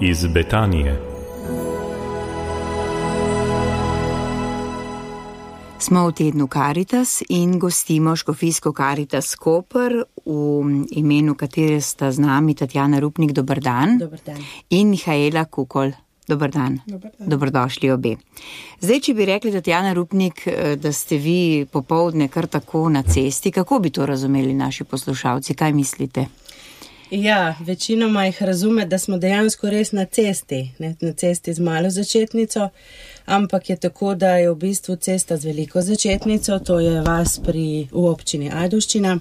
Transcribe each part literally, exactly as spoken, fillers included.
Iz Betanije. Smo v tednu Karitas in gostimo škofijsko Karitas Koper, v imenu katere sta z nami Tatjana Rupnik, dober dan, Dober dan. In Mihaela Kukol, dober dan. Dober dan. Dobrodošli obe. Zdaj, če bi rekli, Tatjana Rupnik, da ste vi popoldne kar tako na cesti, kako bi to razumeli naši poslušalci, kaj mislite? Ja, večinoma jih razume, da smo dejansko res na cesti, ne, na cesti z malo začetnico, ampak je tako, da je v bistvu cesta z veliko začetnico, to je vas pri, v občini Ajdovščina,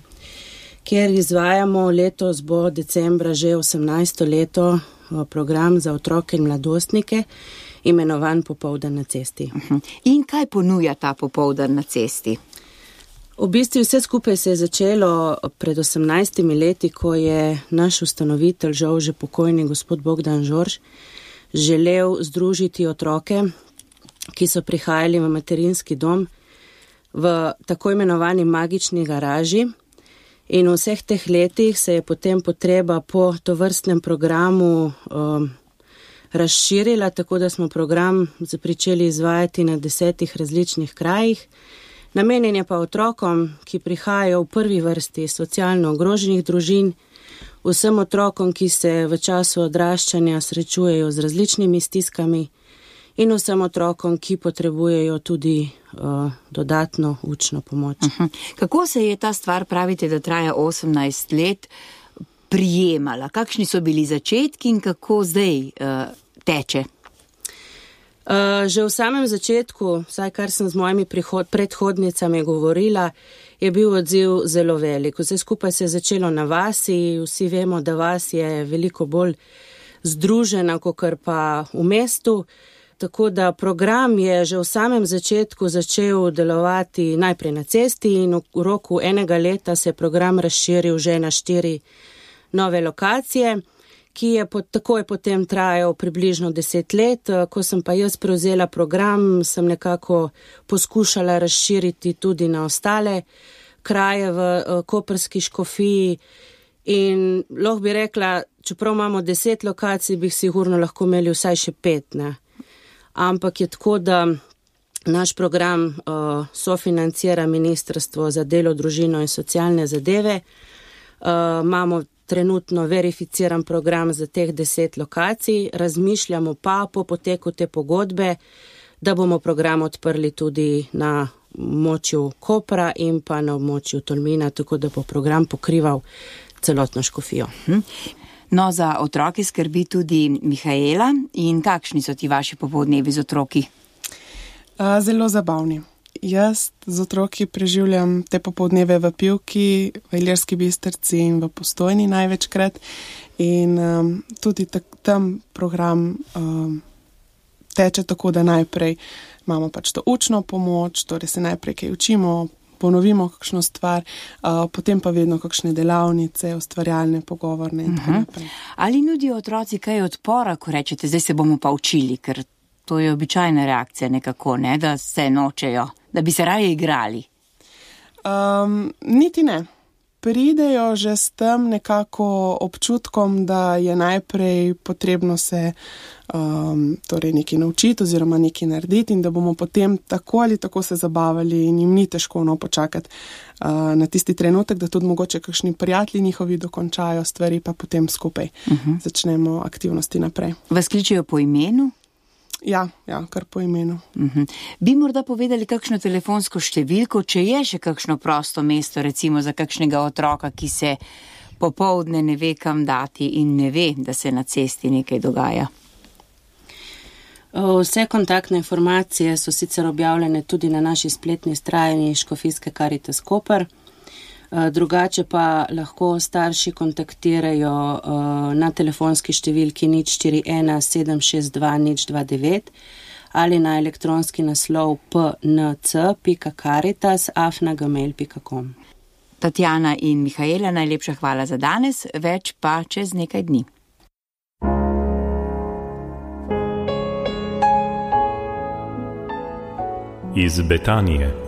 kjer izvajamo, letos bo decembra že osemnajsto leto program za otroke in mladostnike, imenovan Popoldan na cesti. In kaj ponuja ta popoldan na cesti? V bistvu vse skupaj se je začelo pred osemnajstimi leti, ko je naš ustanovitelj, žal že pokojni gospod Bogdan Žorž, želel združiti otroke, ki so prihajali v materinski dom, v tako imenovani magični garaži. In v vseh teh letih se je potem potreba po tovrstnem programu um, razširila, tako da smo program začeli izvajati na desetih različnih krajih. Namenjen je pa otrokom, ki prihajajo v prvi vrsti socialno ogroženih družin, vsem otrokom, ki se v času odraščanja srečujejo z različnimi stiskami in vsem otrokom, ki potrebujejo tudi uh, dodatno učno pomoč. Uh-huh. Kako se je ta stvar, pravite, da traja osemnajst let, prijemala? Kakšni so bili začetki in kako zdaj uh, teče? Uh, že v samem začetku, vsaj kar sem z mojimi prihod, predhodnicami govorila, je bil odziv zelo velik. Vse skupaj se je začelo na vasi, vsi vemo, da vas je veliko bolj združena, kakor pa v mestu. Tako da program je že v samem začetku začel delovati najprej na cesti in v roku enega leta se je program razširil že na štiri nove lokacije, ki je pot, takoj potem trajal približno deset let. Ko sem pa jaz prevzela program, sem nekako poskušala razširiti tudi na ostale kraje v koprski škofiji in lahko bi rekla, čeprav imamo deset lokacij, bi sigurno lahko imeli vsaj še pet, ne. Ampak je tako, da naš program uh, sofinancira Ministrstvo za delo, družino in socialne zadeve. Uh, imamo trenutno verificiran program za teh deset lokacij, razmišljamo pa po poteku te pogodbe, da bomo program odprli tudi na območju Kopra in pa na območju Tolmina, tako da bo program pokrival celotno škofijo. Hm. No, za otroke skrbi tudi Mihaela. In kakšni so ti vaši popoldnevi z otroki? Zelo zabavni. Jaz z otroki preživljam te popoldneve v Pivki, v Ilirski Bistrici in v Postojni največkrat. In um, tudi tak, tam program um, teče tako, da najprej imamo pač to učno pomoč, torej se najprej kaj učimo, ponovimo kakšno stvar, uh, potem pa vedno kakšne delavnice, ustvarjalne, pogovorne in tako naprej. Ali nudijo otroci kaj odpora, ko rečete, zdaj se bomo pa učili, ker to je običajna reakcija nekako, ne, da se nočejo, da bi se raje igrali? Um, niti ne. Pridejo že s tem nekako občutkom, da je najprej potrebno se um, torej nekaj naučiti oziroma nekaj narediti in da bomo potem tako ali tako se zabavali in jim ni težko no počakati uh, na tisti trenutek, da tudi mogoče kakšni prijatelji njihovi dokončajo stvari, pa potem skupaj uh-huh. začnemo aktivnosti naprej. Vas kličejo po imenu? Ja, ja, kar po imenu. Uh-huh. Bi morda povedali kakšno telefonsko številko, če je še kakšno prosto mesto, recimo za kakšnega otroka, ki se popoldne ne ve kam dati in ne ve, da se na cesti nekaj dogaja? Vse kontaktne informacije so sicer objavljene tudi na naši spletni strani Škofijske Karitas Koper. Drugače pa lahko starši kontaktirajo na telefonski številki nič štiri ena sedem šest dva nič dva devet ali na elektronski naslov p n c pika karitas afna gmail pika com. Tatjana in Mihaela, najlepša hvala za danes, več pa čez nekaj dni. Iz Betanije.